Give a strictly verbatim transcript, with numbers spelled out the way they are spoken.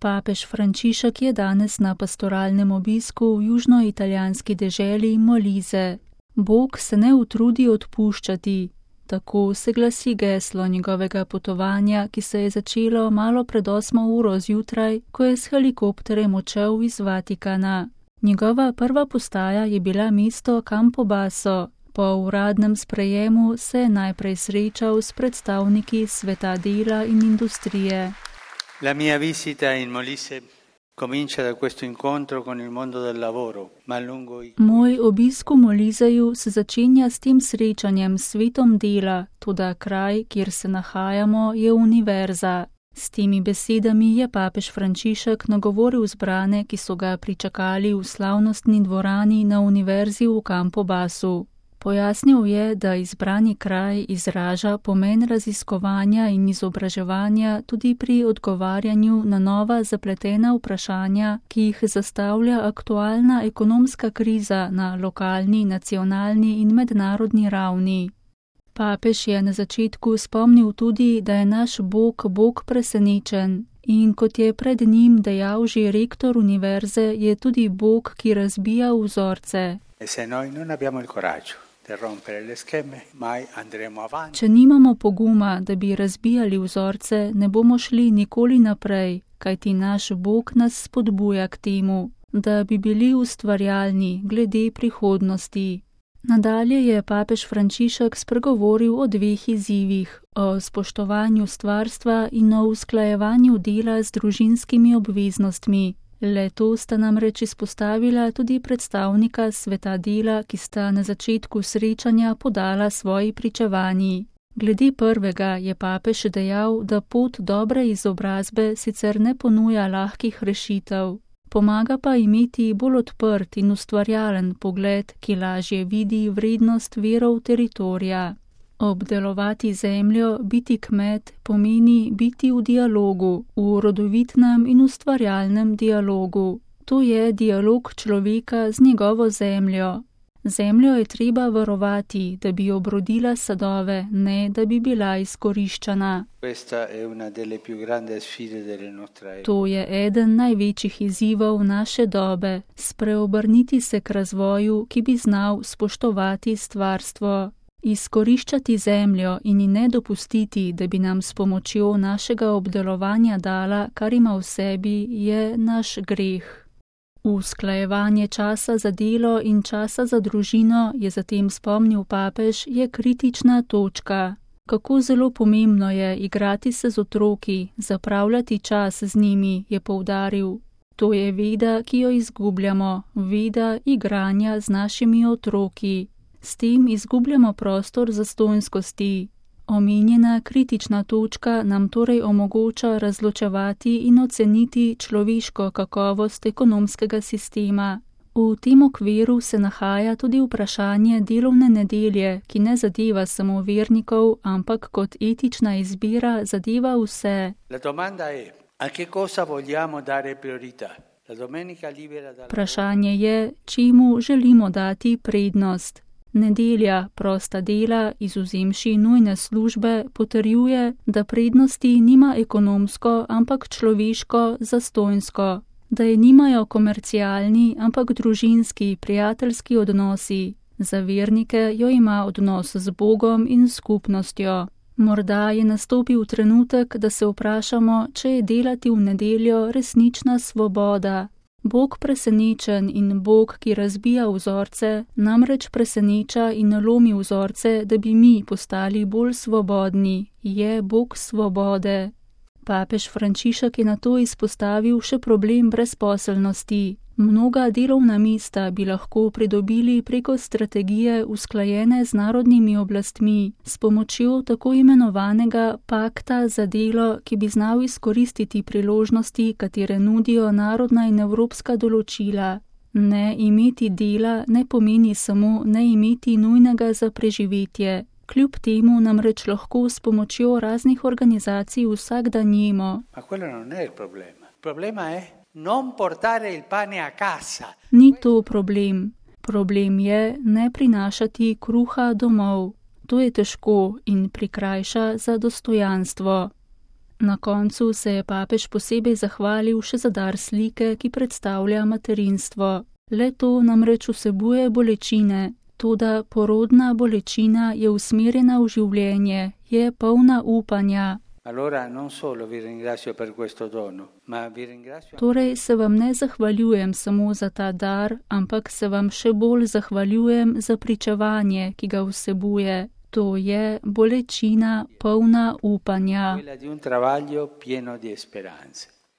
Papež Frančišek je danes na pastoralnem obisku v južnoitalijanski deželi Molise. Bog se ne utrudi odpuščati. Tako se glasi geslo njegovega potovanja, ki se je začelo malo pred osmo uro zjutraj, ko je s helikopterjem odšel iz Vatikana. Njegova prva postaja je bila mesto Campobasso. Po uradnem sprejemu se je najprej srečal s predstavniki sveta dela in industrije. La mia visita in Molise comincia da questo incontro con il mondo del lavoro, ma lungo i... Moj obisk v Moliseju se začenja s tem srečanjem s svetom dela, toda kraj, kjer se nahajamo, je univerza. S temi besedami je papež Frančišek nagovoril zbrane, ki so ga pričakali v slavnostni dvorani na univerzi v Campobassu. Pojasnil je, da izbrani kraj izraža pomen raziskovanja in izobraževanja tudi pri odgovarjanju na nova zapletena vprašanja, ki jih zastavlja aktualna ekonomska kriza na lokalni, nacionalni in mednarodni ravni. Papež je na začetku spomnil tudi, da je naš Bog Bog presenečen in kot je pred njim dejal že rektor univerze, je tudi Bog, ki razbija vzorce. E se noi non abbiamo il coraggio. Če nimamo poguma, da bi razbijali vzorce, ne bomo šli nikoli naprej, kajti naš Bog nas spodbuja k temu, da bi bili ustvarjalni glede prihodnosti. Nadalje je papež Frančišek spregovoril o dveh izzivih, o spoštovanju stvarstva in o usklajevanju dela z družinskimi obveznostmi. Le to sta namreč izpostavila tudi predstavnika sveta dela, ki sta na začetku srečanja podala svoji pričevanji. Glede prvega je papež dejal, da pot dobre izobrazbe sicer ne ponuja lahkih rešitev, pomaga pa imeti bolj odprt in ustvarjalen pogled, ki lažje vidi vrednost virov teritorija. Obdelovati zemljo, biti kmet, pomeni biti v dialogu, v rodovitnem in ustvarjalnem dialogu. To je dialog človeka z njegovo zemljo. Zemljo je treba varovati, da bi obrodila sadove, ne da bi bila izkoriščana. To je eden največjih izzivov naše dobe, spreobrniti se k razvoju, ki bi znal spoštovati stvarstvo. Izkoriščati zemljo in ji ne dopustiti, da bi nam s pomočjo našega obdelovanja dala, kar ima v sebi, je naš greh. Usklajevanje časa za delo in časa za družino, je zatem spomnil papež, je kritična točka. Kako zelo pomembno je igrati se z otroki, zapravljati čas z njimi, je poudaril. To je veda, ki jo izgubljamo, veda igranja z našimi otroki. S tem izgubljamo prostor zastonjskosti. Omenjena kritična točka nam torej omogoča razločevati in oceniti človeško kakovost ekonomskega sistema. V tem okviru se nahaja tudi vprašanje delovne nedelje, ki ne zadeva samo vernikov, ampak kot etična izbira zadeva vse. La domanda è, a che cosa vogliamo dare priorità? Vprašanje je, čemu želimo dati prednost. Nedelja, prosta dela, izvzemši nujne službe, potrjuje, da prednosti nima ekonomsko, ampak človeško, zastonjsko, da je nimajo komercialni, ampak družinski, prijateljski odnosi. Za vernike jo ima odnos z Bogom in skupnostjo. Morda je nastopil trenutek, da se vprašamo, če je delati v nedeljo resnična svoboda. Bog presenečen in Bog, ki razbija vzorce, namreč preseneča in lomi vzorce, da bi mi postali bolj svobodni, je Bog svobode. Papež Frančišek je nato izpostavil še problem brezposelnosti. Mnoga delovna mesta bi lahko pridobili preko strategije usklajene z narodnimi oblastmi, s pomočjo tako imenovanega pakta za delo, ki bi znal izkoristiti priložnosti, katere nudijo narodna in evropska določila. Ne imeti dela ne pomeni samo ne imeti nujnega za preživetje. Kljub temu namreč lahko s pomočjo raznih organizacij vsak dan jemo. Ma quello non è il problema. Il problema è non portare il pane a casa. Ni to problem. Problem je ne prinašati kruha domov. To je težko in prikrajša za dostojanstvo. Na koncu se je papež posebej zahvalil še za dar slike, ki predstavlja materinstvo. Le to namreč vsebuje bolečine, toda porodna bolečina je usmerjena v življenje, je polna upanja. Allora non solo vi ringrazio per questo dono, ma vi ringrazio. Torej se vam ne zahvaljujem samo za ta dar, ampak se vam še bolj zahvaljujem za pričevanje, ki ga vsebuje. To je bolečina polna upanja. Quella di un travaglio pieno di speranze.